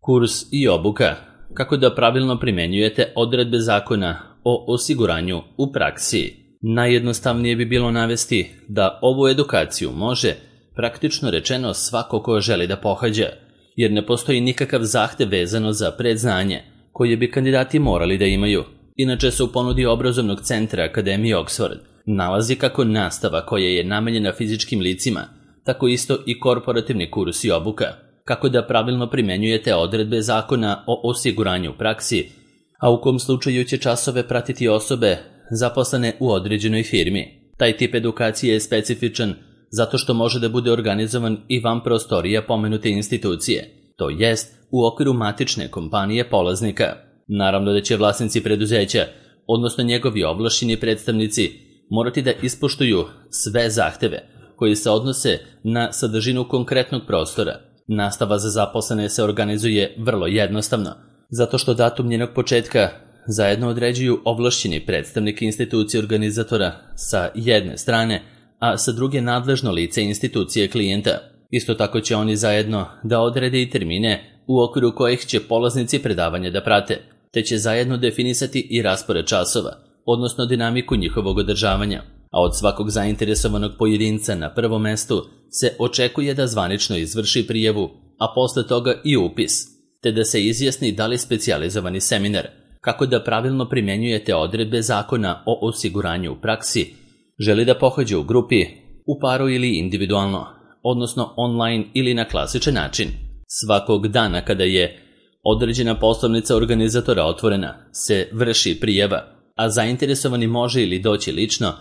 Kurs i obuka. Kako da pravilno primenjujete odredbe zakona o osiguranju u praksi. Najjednostavnije bi bilo navesti da ovu edukaciju može, praktično rečeno, svako ko želi da pohađa, jer ne postoji nikakav zahtev vezano za predznanje koje bi kandidati morali da imaju. Inače se u ponudi obrazovnog centra Akademije Oxford nalazi kako nastava koja je namenjena fizičkim licima, tako isto i korporativni kurs i obuka. Kako da pravilno primenjujete odredbe zakona o osiguranju u praksi, a u kom slučaju će časove pratiti osobe zaposlene u određenoj firmi. Taj tip edukacije je specifičan zato što može da bude organizovan i van prostorija pomenute institucije, to jest u okviru matične kompanije polaznika. Naravno da će vlasnici preduzeća, odnosno njegovi ovlašćeni predstavnici, morati da ispoštuju sve zahteve koji se odnose na sadržinu konkretnog prostora. Nastava za zaposlene se organizuje vrlo jednostavno, zato što datum njenog početka zajedno određuju ovlašćeni predstavnik institucije organizatora sa jedne strane, a sa druge nadležno lice institucije klijenta. Isto tako će oni zajedno da odrede i termine u okviru kojih će polaznici predavanja da prate, te će zajedno definisati i raspored časova, odnosno dinamiku njihovog održavanja. A od svakog zainteresovanog pojedinca na prvom mestu se očekuje da zvanično izvrši prijavu, a posle toga i upis, te da se izjasni da li specijalizovani seminar, kako da pravilno primenjujete odredbe zakona o osiguranju u praksi, želi da pohađe u grupi, u paru ili individualno, odnosno online ili na klasičan način. Svakog dana kada je određena poslovnica organizatora otvorena, se vrši prijava, a zainteresovani može ili doći lično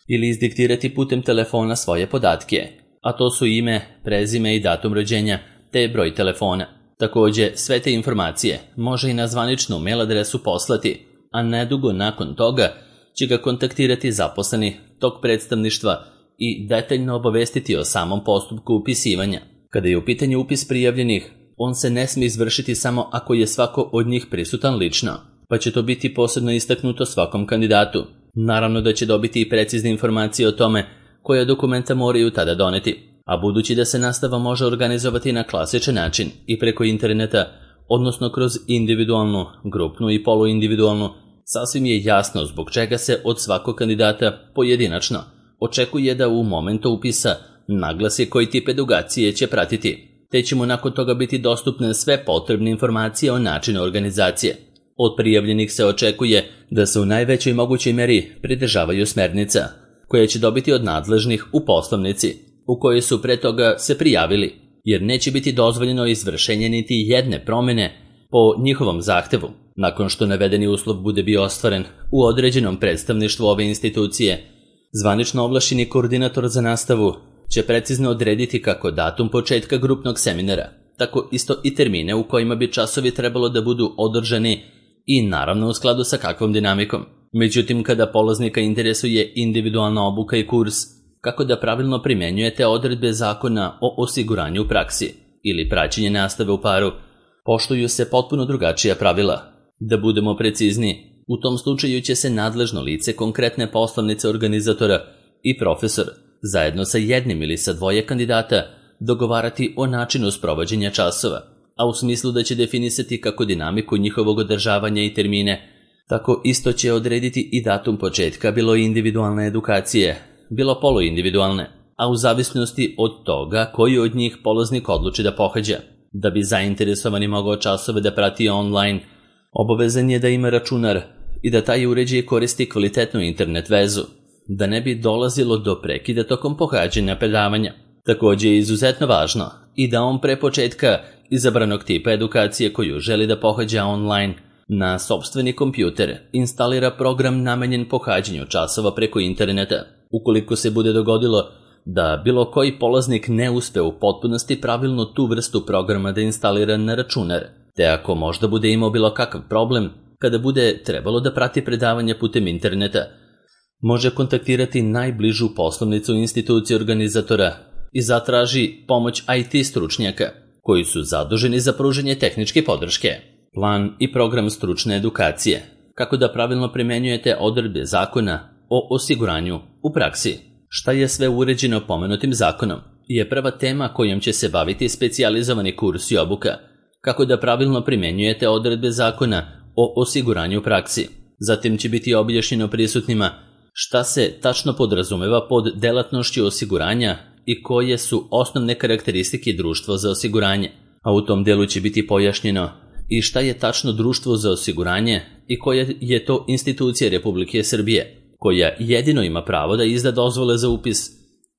ili izdiktirati putem telefona svoje podatke, a to su ime, prezime i datum rođenja, te broj telefona. Također, sve te informacije može i na zvaničnu mail adresu poslati, a nedugo nakon toga će ga kontaktirati zaposleni tog predstavništva i detaljno obavestiti o samom postupku upisivanja. Kada je u pitanju upis prijavljenih, on se ne smije izvršiti samo ako je svako od njih prisutan lično, pa će to biti posebno istaknuto svakom kandidatu. Naravno da će dobiti i precizne informacije o tome koja dokumenta moraju tada doneti, a budući da se nastava može organizovati na klasičan način i preko interneta, odnosno kroz individualnu, grupnu i poluindividualnu, sasvim je jasno zbog čega se od svakog kandidata pojedinačno očekuje da u momentu upisa naglasi koji tip edukacije će pratiti, te će mu nakon toga biti dostupne sve potrebne informacije o načinu organizacije. Od prijavljenih se očekuje da se u najvećoj mogućoj meri pridržavaju smernica, koje će dobiti od nadležnih u poslovnici, u kojoj su pre toga se prijavili, jer neće biti dozvoljeno izvršenje niti jedne promjene po njihovom zahtevu. Nakon što navedeni uslov bude bio ostvaren u određenom predstavništvu ove institucije, zvanično ovlašćeni koordinator za nastavu će precizno odrediti kako datum početka grupnog seminara, tako isto i termine u kojima bi časovi trebalo da budu održani i naravno u skladu sa kakvom dinamikom. Međutim, kada polaznika interesuje individualna obuka i kurs, kako da pravilno primenjujete odredbe zakona o osiguranju u praksi ili praćenje nastave u paru, poštuju se potpuno drugačija pravila. Da budemo precizni, u tom slučaju će se nadležno lice konkretne poslovnice organizatora i profesor, zajedno sa jednim ili sa dvoje kandidata, dogovarati o načinu sprovođenja časova, a u smislu da će definisati kako dinamiku njihovog održavanja i termine, tako isto će odrediti i datum početka bilo individualne edukacije, bilo poluindividualne, a u zavisnosti od toga koji od njih polaznik odluči da pohađa. Da bi zainteresovani mogao časove da prati online, obavezan je da ima računar i da taj uređaj koristi kvalitetnu internet vezu, da ne bi dolazilo do prekida tokom pohađanja predavanja. Također je izuzetno važno i da on pre početka izabranog tipa edukacije koju želi da pohađa online na sopstveni kompjuter instalira program namenjen pohađanju časova preko interneta. Ukoliko se bude dogodilo da bilo koji polaznik ne uspe u potpunosti pravilno tu vrstu programa da instalira na računar, te ako možda bude imao bilo kakav problem kada bude trebalo da prati predavanje putem interneta, može kontaktirati najbližu poslovnicu institucije organizatora i zatraži pomoć IT stručnjaka koji su zaduženi za pružanje tehničke podrške. Plan i program stručne edukacije. Kako da pravilno primenjujete odredbe zakona o osiguranju u praksi. Šta je sve uređeno pomenutim zakonom je prva tema kojom će se baviti specijalizovani kurs i obuka. kako da pravilno primenjujete odredbe zakona o osiguranju u praksi. Zatim će biti objašnjeno prisutnima šta se tačno podrazumeva pod delatnošću osiguranja i koje su osnovne karakteristike društva za osiguranje, a u tom delu će biti pojašnjeno i šta je tačno društvo za osiguranje i koja je to institucija Republike Srbije, koja jedino ima pravo da izda dozvole za upis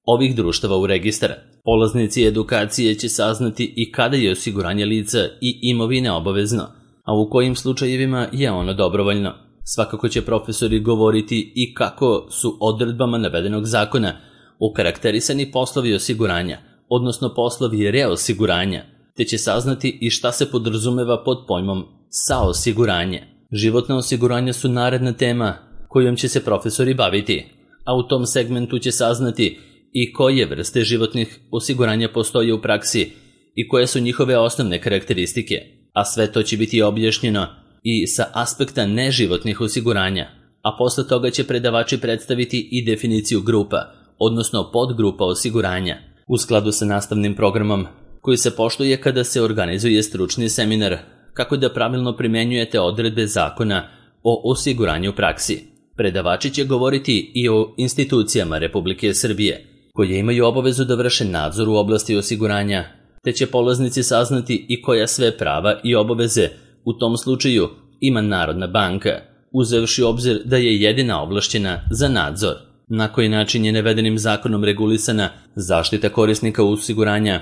ovih društava u registar. Polaznici edukacije će saznati i kada je osiguranje lica i imovine obavezno, a u kojim slučajevima je ono dobrovoljno. Svakako će profesori govoriti i kako su odredbama navedenog zakona okarakterisani poslovi osiguranja, odnosno poslovi reosiguranja, te će saznati i šta se podrazumeva pod pojmom saosiguranje. Životna osiguranja su naredna tema kojom će se profesori baviti, a u tom segmentu će saznati i koje vrste životnih osiguranja postoje u praksi i koje su njihove osnovne karakteristike, a sve to će biti objašnjeno i sa aspekta neživotnih osiguranja, a posle toga će predavači predstaviti i definiciju grupa, odnosno podgrupa osiguranja, u skladu sa nastavnim programom koji se poštuje kada se organizuje stručni seminar kako da pravilno primenjujete odredbe zakona o osiguranju u praksi. Predavači će govoriti i o institucijama Republike Srbije, koje imaju obavezu da vrše nadzor u oblasti osiguranja, te će polaznici saznati i koja sve prava i obaveze u tom slučaju ima Narodna banka, uzevši u obzir da je jedina ovlašćena za nadzor. Na koji način je navedenim zakonom regulisana zaštita korisnika osiguranja,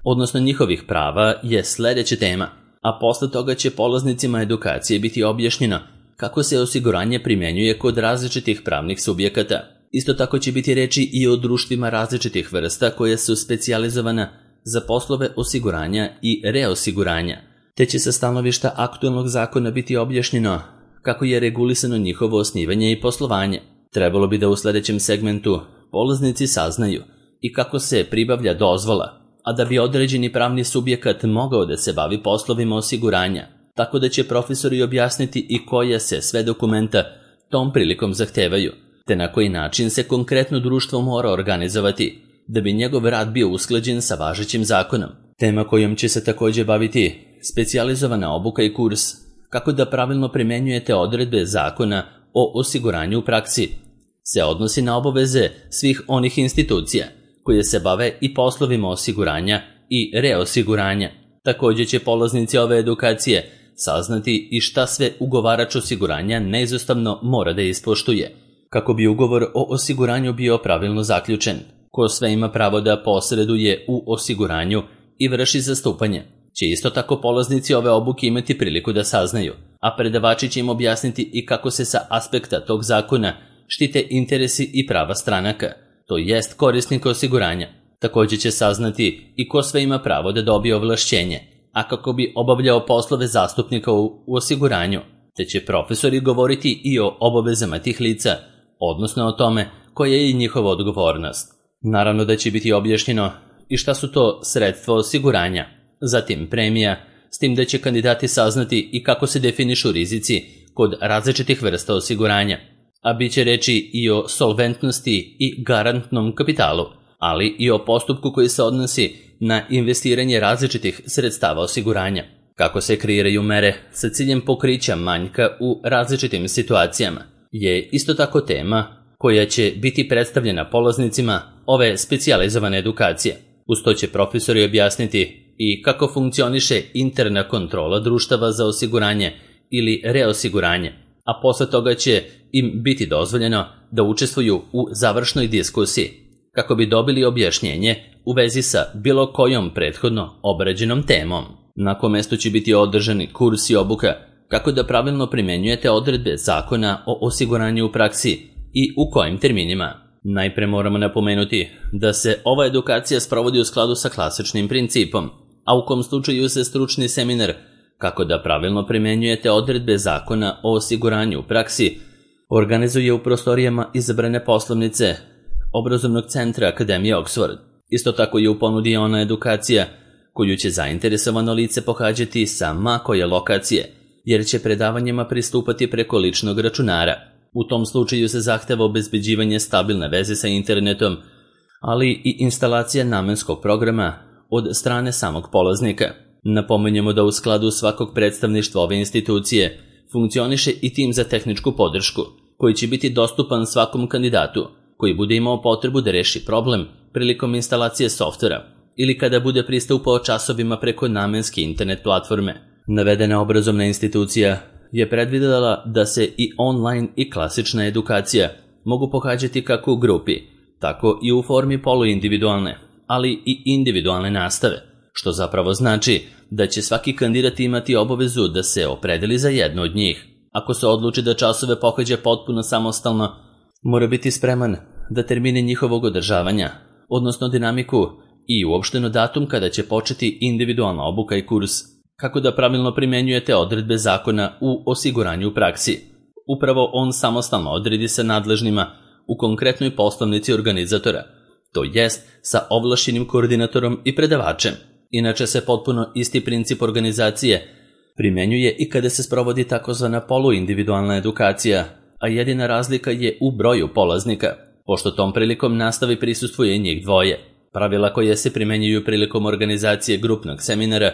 odnosno njihovih prava, je sledeća tema, a posle toga će polaznicima edukacije biti objašnjeno kako se osiguranje primenjuje kod različitih pravnih subjekata. Isto tako će biti reči i o društvima različitih vrsta koje su specijalizovana za poslove osiguranja i reosiguranja, te će sa stanovišta aktuelnog zakona biti objašnjeno kako je regulisano njihovo osnivanje i poslovanje. Trebalo bi da u sledećem segmentu polaznici saznaju i kako se pribavlja dozvola, a da bi određeni pravni subjekat mogao da se bavi poslovima osiguranja, tako da će profesori objasniti i koja se sve dokumenta tom prilikom zahtevaju, te na koji način se konkretno društvo mora organizovati da bi njegov rad bio usklađen sa važećim zakonom. Tema kojom će se takođe baviti specijalizovana obuka i kurs kako da pravilno primenjujete odredbe zakona o osiguranju u praksi se odnosi na obaveze svih onih institucija koje se bave i poslovima osiguranja i reosiguranja. Takođe će polaznici ove edukacije saznati i šta sve ugovarač osiguranja neizostavno mora da ispoštuje kako bi ugovor o osiguranju bio pravilno zaključen, ko sve ima pravo da posreduje u osiguranju i vrši zastupanje. Će isto tako polaznici ove obuke imati priliku da saznaju, a predavači će im objasniti i kako se sa aspekta tog zakona štite interesi i prava stranaka, to jest korisnika osiguranja. Takođe će saznati i ko sve ima pravo da dobije ovlašćenje, a kako bi obavljao poslove zastupnika u osiguranju, te će profesori govoriti i o obavezama tih lica, odnosno o tome koja je i njihova odgovornost. Naravno da će biti objašnjeno i šta su to sredstva osiguranja, zatim premija, s tim da će kandidati saznati i kako se definišu rizici kod različitih vrsta osiguranja, a bit će reči i o solventnosti i garantnom kapitalu, ali i o postupku koji se odnosi na investiranje različitih sredstava osiguranja, kako se kreiraju mere sa ciljem pokrića manjka u različitim situacijama, je isto tako tema koja će biti predstavljena polaznicima ove specijalizovane edukacije. Uz to će profesori objasniti i kako funkcioniše interna kontrola društava za osiguranje ili reosiguranje, a posle toga će im biti dozvoljeno da učestvuju u završnoj diskusiji, kako bi dobili objašnjenje u vezi sa bilo kojom prethodno obrađenom temom. Na kom mestu će biti održani kurs i obuka kako da pravilno primenjujete odredbe zakona o osiguranju u praksi i u kojim terminima. Najpre moramo napomenuti da se ova edukacija sprovodi u skladu sa klasičnim principom, a u kom slučaju se stručni seminar kako da pravilno primenjujete odredbe zakona o osiguranju u praksi organizuje u prostorijama izabrane poslovnice Obrazovnog centra Akademije Oxford. Isto tako je u ponudi ona edukacija koju će zainteresovano lice pohađati sa ma koje lokacije, jer će predavanjima pristupati preko ličnog računara. U tom slučaju se zahteva obezbeđivanje stabilne veze sa internetom, ali i instalacija namenskog programa od strane samog polaznika. Napominjemo da u skladu svakog predstavništva ove institucije funkcioniše i tim za tehničku podršku, koji će biti dostupan svakom kandidatu koji bude imao potrebu da reši problem prilikom instalacije softvera ili kada bude pristupao časovima preko namenske internet platforme. Navedena obrazovna institucija je predvidela da se i online i klasična edukacija mogu pohađati kako u grupi, tako i u formi poluindividualne, ali i individualne nastave, što zapravo znači da će svaki kandidat imati obavezu da se opredeli za jednu od njih. Ako se odluči da časove pohađa potpuno samostalno, mora biti spreman da termine njihovog održavanja, odnosno dinamiku i uopšteno datum kada će početi individualna obuka i kurs, kako da pravilno primenjujete odredbe zakona u osiguranju u praksi. Upravo on samostalno odredi sa nadležnima u konkretnoj poslovnici organizatora, to jest sa ovlašćenim koordinatorom i predavačem. Inače se potpuno isti princip organizacije primenjuje i kada se sprovodi takozvana poluindividualna edukacija, a jedina razlika je u broju polaznika, pošto tom prilikom nastavi prisustvuje njih dvoje. Pravila koje se primenjuju prilikom organizacije grupnog seminara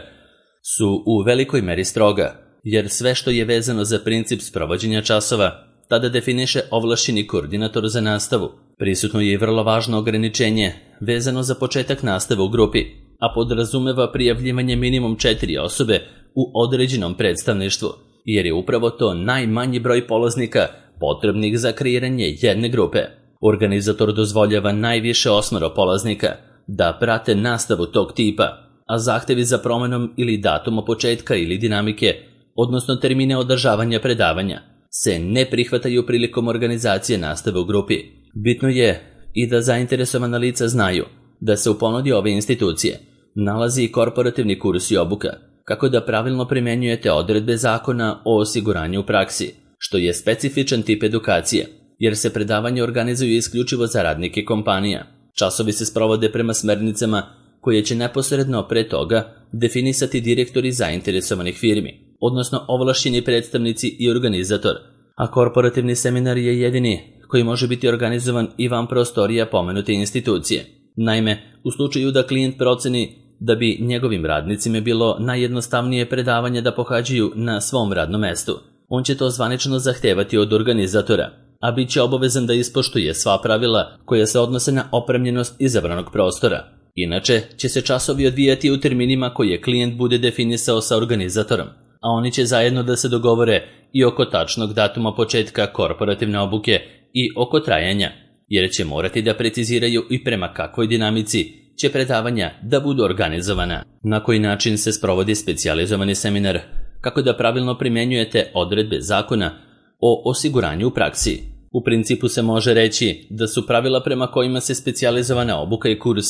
su u velikoj meri stroga, jer sve što je vezano za princip sprovođenja časova tada definiše ovlašćeni koordinator za nastavu. Prisutno je i vrlo važno ograničenje vezano za početak nastave u grupi, a podrazumeva prijavljivanje minimum 4 osobe u određenom predstavništvu, jer je upravo to najmanji broj polaznika potrebnih za kreiranje jedne grupe. Organizator dozvoljava najviše 8 polaznika da prate nastavu tog tipa, a zahtevi za promenom ili datuma početka ili dinamike, odnosno termine održavanja predavanja, se ne prihvataju prilikom organizacije nastave u grupi. Bitno je i da zainteresovana lica znaju da se u ponudi ove institucije nalazi i korporativni kurs i obuka, kako da pravilno primenjujete odredbe zakona o osiguranju u praksi, što je specifičan tip edukacije, jer se predavanje organizuju isključivo za radnike kompanija. Časovi se sprovode prema smernicama koje će neposredno pre toga definisati direktori zainteresovanih firmi, odnosno ovlašćeni predstavnici i organizator, a korporativni seminar je jedini koji može biti organizovan i van prostorija pomenute institucije. Naime, u slučaju da klijent proceni da bi njegovim radnicima bilo najjednostavnije predavanje da pohađaju na svom radnom mestu, on će to zvanično zahtevati od organizatora, a bit će obavezan da ispoštuje sva pravila koja se odnose na opremljenost izabranog prostora. Inače će se časovi odvijati u terminima koje klijent bude definisao sa organizatorom, a oni će zajedno da se dogovore i oko tačnog datuma početka korporativne obuke i oko trajanja, jer će morati da preciziraju i prema kakvoj dinamici će predavanja da budu organizovana. Na koji način se sprovodi specijalizovani seminar, kako da pravilno primenjujete odredbe zakona o osiguranju u praksi. U principu se može reći da su pravila prema kojima se specijalizovana obuka i kurs,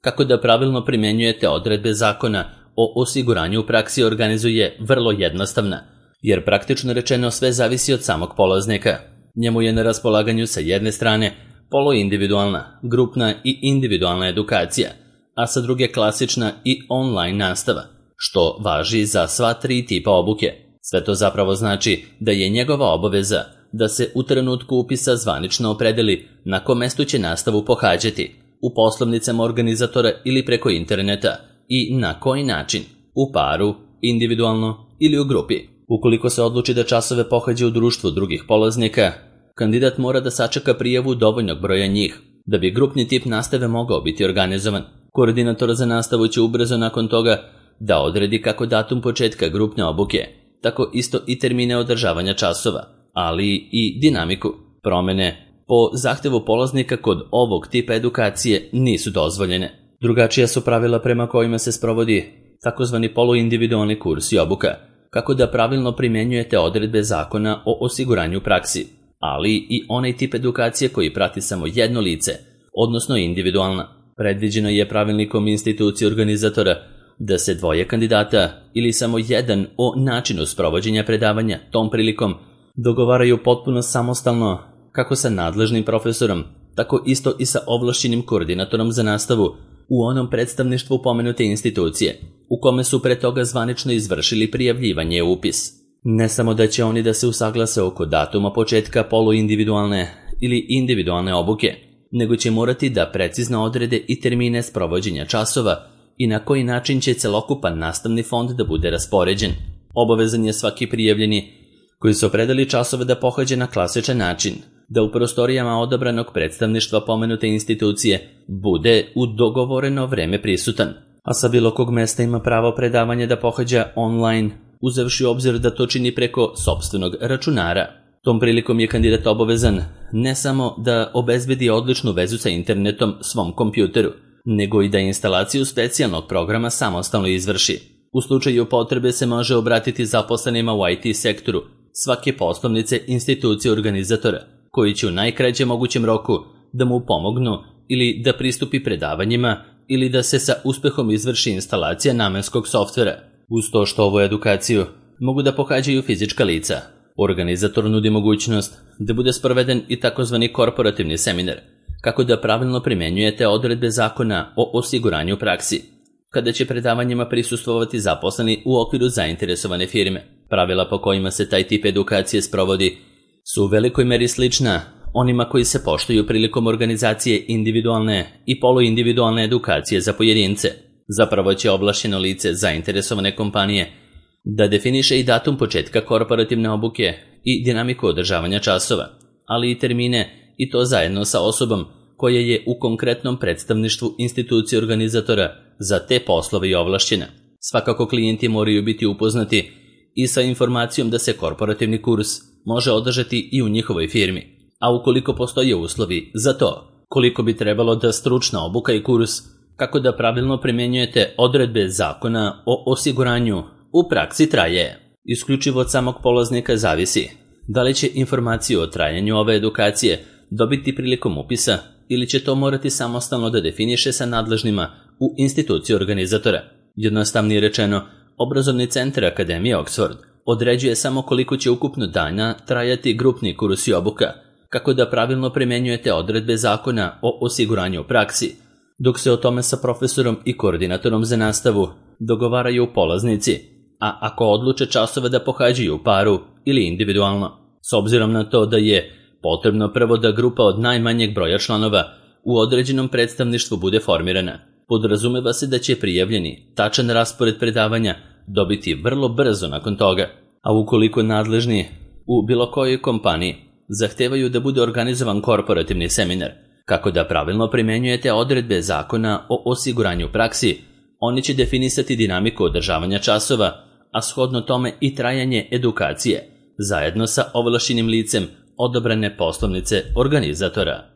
kako da pravilno primenjujete odredbe zakona o osiguranju u praksi organizuje vrlo jednostavna, jer praktično rečeno sve zavisi od samog polaznika. Njemu je na raspolaganju sa jedne strane poluindividualna, grupna i individualna edukacija, a sa druge klasična i online nastava, što važi za sva 3 tipa obuke. Sve to zapravo znači da je njegova obaveza da se u trenutku upisa zvanično opredeli na kom mestu će nastavu pohađati, u poslovnicama organizatora ili preko interneta i na koji način, u paru, individualno ili u grupi. Ukoliko se odluči da časove pohađa u društvu drugih polaznika, kandidat mora da sačeka prijavu dovoljnog broja njih, da bi grupni tip nastave mogao biti organizovan. Koordinator za nastavu će ubrzo nakon toga da odredi kako datum početka grupne obuke, tako isto i termine održavanja časova, ali i dinamiku. Promene po zahtevu polaznika kod ovog tipa edukacije nisu dozvoljene. Drugačija su pravila prema kojima se sprovodi takozvani poluindividualni kurs i obuka, kako da pravilno primenjujete odredbe zakona o osiguranju praksi, ali i onaj tip edukacije koji prati samo jedno lice, odnosno individualna. Predviđeno je pravilnikom institucije organizatora da se 2 kandidata ili samo jedan o načinu sprovođenja predavanja tom prilikom dogovaraju potpuno samostalno, kako sa nadležnim profesorom, tako isto i sa ovlašćenim koordinatorom za nastavu u onom predstavništvu pomenute institucije, u kome su pre toga zvanično izvršili prijavljivanje u upis. Ne samo da će oni da se usaglase oko datuma početka poluindividualne ili individualne obuke, nego će morati da precizno odrede i termine sprovođenja časova i na koji način će celokupan nastavni fond da bude raspoređen. Obavezan je svaki prijavljeni koji se opredeli časove da pohađa na klasičan način, da u prostorijama odabranog predstavništva pomenute institucije bude u dogovoreno vreme prisutan, a sa bilo kog mesta ima pravo predavanja da pohađa online, uzevši u obzir da to čini preko sopstvenog računara. Tom prilikom je kandidat obavezan ne samo da obezbedi odličnu vezu sa internetom svom kompjuteru, nego i da instalaciju specijalnog programa samostalno izvrši. U slučaju potrebe se može obratiti zaposlenima u IT sektoru svake poslovnice institucije organizatora, koji će u najkraćem mogućem roku da mu pomognu ili da pristupi predavanjima ili da se sa uspehom izvrši instalacija namenskog softvera. Uz to što ovu edukaciju mogu da pohađaju fizička lica, organizator nudi mogućnost da bude sproveden i takozvani korporativni seminar, kako da pravilno primenjujete odredbe zakona o osiguranju praksi, kada će predavanjima prisustvovati zaposleni u okviru zainteresovane firme. Pravila po kojima se taj tip edukacije sprovodi su u velikoj meri slična onima koji se poštuju prilikom organizacije individualne i poluindividualne edukacije za pojedince. Zapravo će ovlašćeno lice zainteresovane kompanije da definiše i datum početka korporativne obuke i dinamiku održavanja časova, ali i termine, i to zajedno sa osobom koja je u konkretnom predstavništvu institucije organizatora za te poslove i ovlašćena. Svakako klijenti moraju biti upoznati i sa informacijom da se korporativni kurs može održati i u njihovoj firmi, a ukoliko postoje uslovi za to, koliko bi trebalo da stručna obuka i kurs, kako da pravilno primjenjujete odredbe zakona o osiguranju u praksi traje. Isključivo od samog polaznika zavisi da li će informaciju o trajanju ove edukacije dobiti prilikom upisa ili će to morati samostalno da definiše sa nadležnima u instituciji organizatora. Jednostavnije rečeno, obrazovni centar Akademije Oxford određuje samo koliko će ukupno dana trajati grupni kurs i obuka, kako da pravilno primenjujete odredbe zakona o osiguranju u praksi, dok se o tome sa profesorom i koordinatorom za nastavu dogovaraju polaznici, a ako odluče časove da pohađaju u paru ili individualno. S obzirom na to da je potrebno prvo da grupa od najmanjeg broja članova u određenom predstavništvu bude formirana, podrazumeva se da će prijavljeni tačan raspored predavanja dobiti vrlo brzo nakon toga, a ukoliko nadležni u bilo kojoj kompaniji zahtevaju da bude organizovan korporativni seminar, kako da pravilno primenjujete odredbe zakona o osiguranju praksi, oni će definisati dinamiku održavanja časova, a shodno tome i trajanje edukacije, zajedno sa ovlašćenim licem odabrane poslovnice organizatora.